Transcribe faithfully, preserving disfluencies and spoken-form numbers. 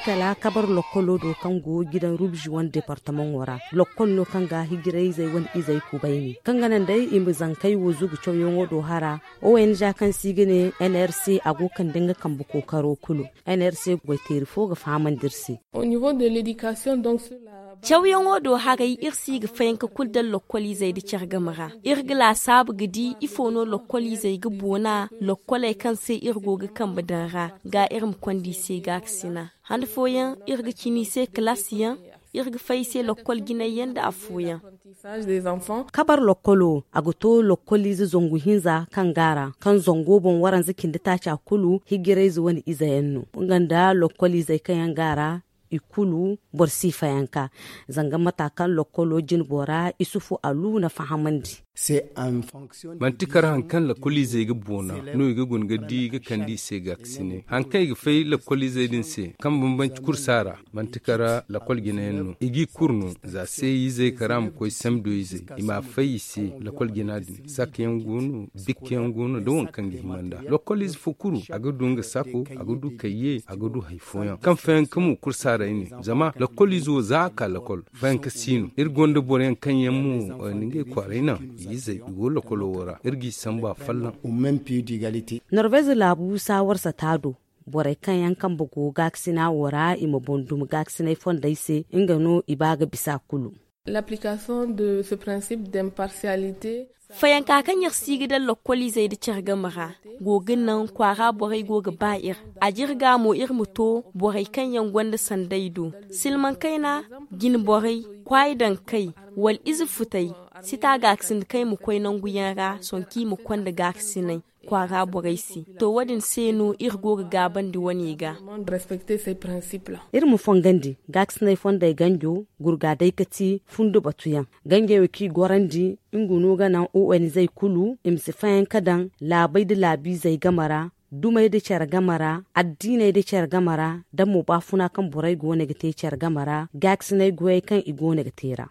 Kala kabar lokkolo do kaŋ go gidan rubzi wane departamaŋo ra, lokkol no kaŋ ga hijirayzey wane izey kubayni kaŋ ga naŋ day i ma zankey wo zugu cawyaŋo do hara. Ong kaŋ se i ga ne nrc, a go kande nga kambe kookaro kulu. Nrc goyteeri fo ga fahamandi iri se. Cawyaŋo do haray, iri si ga fayanka kulu daŋ lokkol izey nda care game ra. Iri ga laasaabu ga di ifo no lokkol izey ga boona lokkoley kaŋ se iri go ga kambe daŋ ra, ga iri ma konda i se gaakasina. Han fooyaŋ iri ga cina i se kalaasiyaŋ, iri ga fay i se lokkol jinayyaŋ nda afooyaŋ. Kabar lokkolo, a ga to lokkol ize zangu hinza kaŋ go a ra, kaŋ zango boŋ waranza cindi taaca kulu hijirayze wane izeyaŋ no. Nga nda lokkol izey kaŋ yaŋ go a ra, i kulu boro si fayanka. Zanga mata kaŋ lokkolo jine bora isufu alu na fahamandi. Manti kar haŋ kaŋ lakkol izey ga boona no i ga guna ga di ga kande i se gaakasinay haŋ kaŋ i ga fay lakkol izey din se kaŋ bambanci kursa ra. Manti kar lakkol jinayaŋ no i g'i kuru no za se izey kara ma koy samdo izey i ma fay i se. Lakkol jina din sakka yaŋ go no, bikka yaŋ go no da waŋ kaŋ ga hima nd'a. Lakkol ize fo kuru a ga du nga sako, a ga du kayye, a ga du hari fooyaŋ kaŋ fayanka mo kursa ra i ne. Zama lakkol ize wo za a ka lakkol fayanka si no. Iri gonda boro yaŋ kaŋ yaŋ mo ni ngey kwaaray naŋ i izey i go lakkolo wo ra iri g'i sambu afolloŋ. Norvez laabu saawar sata do, borey kaŋ yaŋ kambe go gaakasina wo ra i ma boŋ dumi gaakasinay fondey se, nga no i ba ga bisa kulu. Fayanka kaŋ iri si ga daŋ lakkol izey nda care game ra go ga naŋ kwaara borey go ga ba iri. A jirga mo iri ma to borey kaŋ yaŋ gonda sanday do, silmaŋ kayna, jine borey, kwaayi daŋ kay, wala ize futey, sita gaakasin da kaŋ i ma koy nangu yaŋ ra sohõ kaŋ i ma konda gaakasinay kwaara borey se. To wo- din se no iri go ga gaabandi wane ga. Iri ma fongandi gaakasinay fondey ganjo gurga day ka ti fundo batuyaŋ. Ganjey wo kaŋ i gorandi nga no ga naŋ o n zey kulu i ma si fayanka daŋ laabey nda laabiizey game ra, dumey nda care game ra, addiiney nda care game ra, da mo baafuna kaŋ borey go no ga te care game ra gaakasinay goyey kaŋ i go no ga te ra.